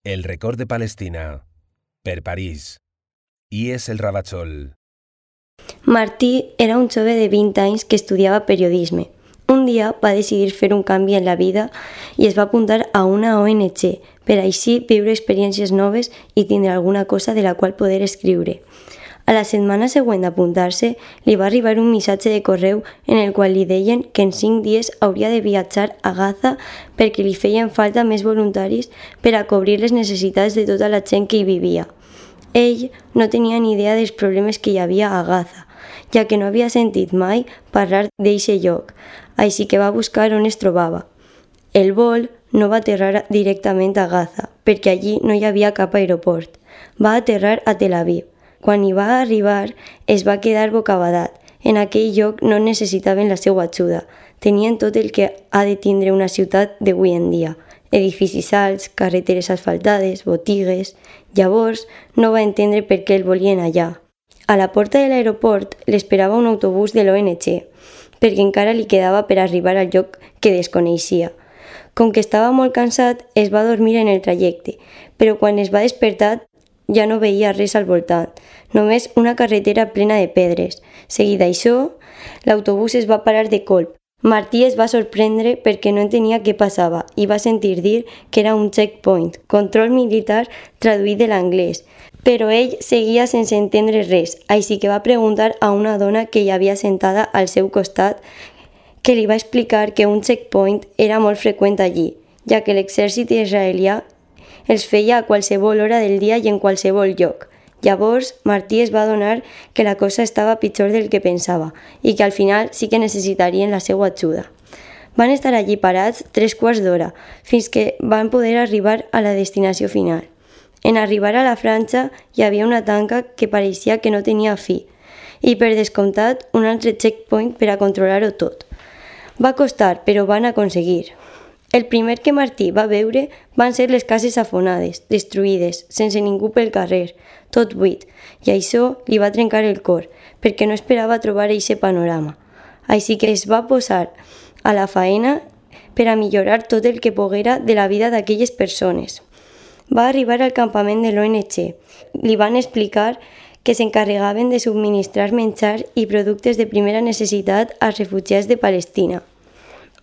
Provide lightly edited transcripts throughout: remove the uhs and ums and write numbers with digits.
El record de Palestina, per París. I és el Ravachol. Martí era un jove de 20 anys que estudiava periodisme. Un dia va decidir fer un canvi en la vida i es va apuntar a una ONG per així viure experiències noves i tindre alguna cosa de la qual poder escriure. A la setmana següent d'apuntar-se, li va arribar un missatge de correu en el qual li deien que en 5 dies hauria de viatjar a Gaza perquè li feien falta més voluntaris per a cobrir les necessitats de tota la gent que hi vivia. Ell no tenia ni idea dels problemes que hi havia a Gaza, ja que no havia sentit mai parlar d'eixe lloc, així que va buscar on es trobava. El vol no va aterrar directament a Gaza, perquè allí no hi havia cap aeroport. Va aterrar a Tel Aviv. Quan hi va arribar, es va quedar bocabadat. En aquell lloc no necessitaven la seva ajuda. Tenien tot el que ha de tindre una ciutat d'avui en dia. Edificis alts, carreteres asfaltades, botigues. Llavors, no va entendre per què el volien allà. A la porta de l'aeroport l'esperava un autobús de l'ONG, perquè encara li quedava per arribar al lloc que desconeixia. Com que estava molt cansat, es va dormir en el trajecte, però quan es va despertar ja no veia res al voltant, només una carretera plena de pedres. Seguit d'això, l'autobús es va parar de colp. Martí es va sorprendre perquè no entenia què passava i va sentir dir que era un checkpoint, control militar traduït de l'anglès, però ell seguia sense entendre res, així que va preguntar a una dona que hi havia sentada al seu costat que li va explicar que un checkpoint era molt freqüent allí, ja que l'exèrcit israelià els feia a qualsevol hora del dia i en qualsevol lloc. Llavors, Martí es va adonar que la cosa estava pitjor del que pensava i que al final sí que necessitarien la seva ajuda. Van estar allí parats 3 quarts d'hora, fins que van poder arribar a la destinació final. En arribar a la franja hi havia una tanca que pareixia que no tenia fi i, per descomptat, un altre checkpoint per a controlar-ho tot. Va costar, però van aconseguir. El primer que Martí va veure van ser les cases afonades, destruïdes, sense ningú pel carrer, tot buit, i això li va trencar el cor, perquè no esperava trobar eixe panorama. Així que es va posar a la faena per a millorar tot el que poguera de la vida d'aquelles persones. Va arribar al campament de l'ONG. Li van explicar que s'encarregaven de subministrar menjar i productes de primera necessitat als refugiats de Palestina.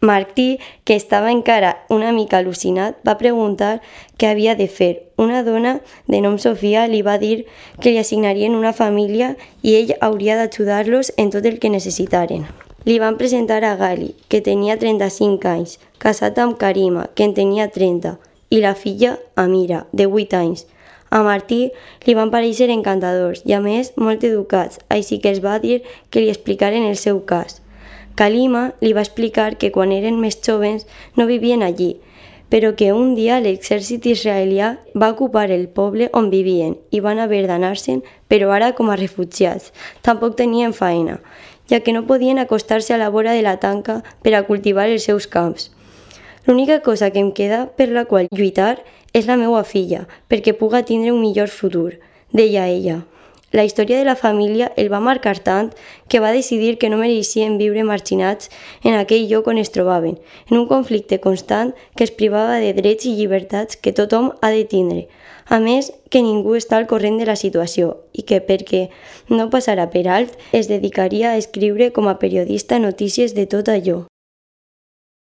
Martí, que estava encara una mica al·lucinat, va preguntar què havia de fer. Una dona de nom Sofia li va dir que li assignarien una família i ell hauria d'ajudar-los en tot el que necessitaren. Li van presentar a Gali, que tenia 35 anys, casat amb Karima, que en tenia 30, i la filla Amira, de 8 anys. A Martí li van parèixer encantadors i, a més, molt educats, així que els va dir que li explicaren el seu cas. Kalima li va explicar que quan eren més jovens no vivien allí, però que un dia l'exèrcit israelià va ocupar el poble on vivien i van haver d'anar-se'n, però ara com a refugiats. Tampoc tenien feina, ja que no podien acostar-se a la vora de la tanca per a cultivar els seus camps. L'única cosa que em queda per la qual lluitar és la meva filla, perquè puga tindre un millor futur, deia ella. La història de la família el va marcar tant que va decidir que no mereixien viure marginats en aquell lloc on es trobaven, en un conflicte constant que es privava de drets i llibertats que tothom ha de tindre. A més, que ningú està al corrent de la situació i que, perquè no passara per alt, es dedicaria a escriure com a periodista notícies de tot allò.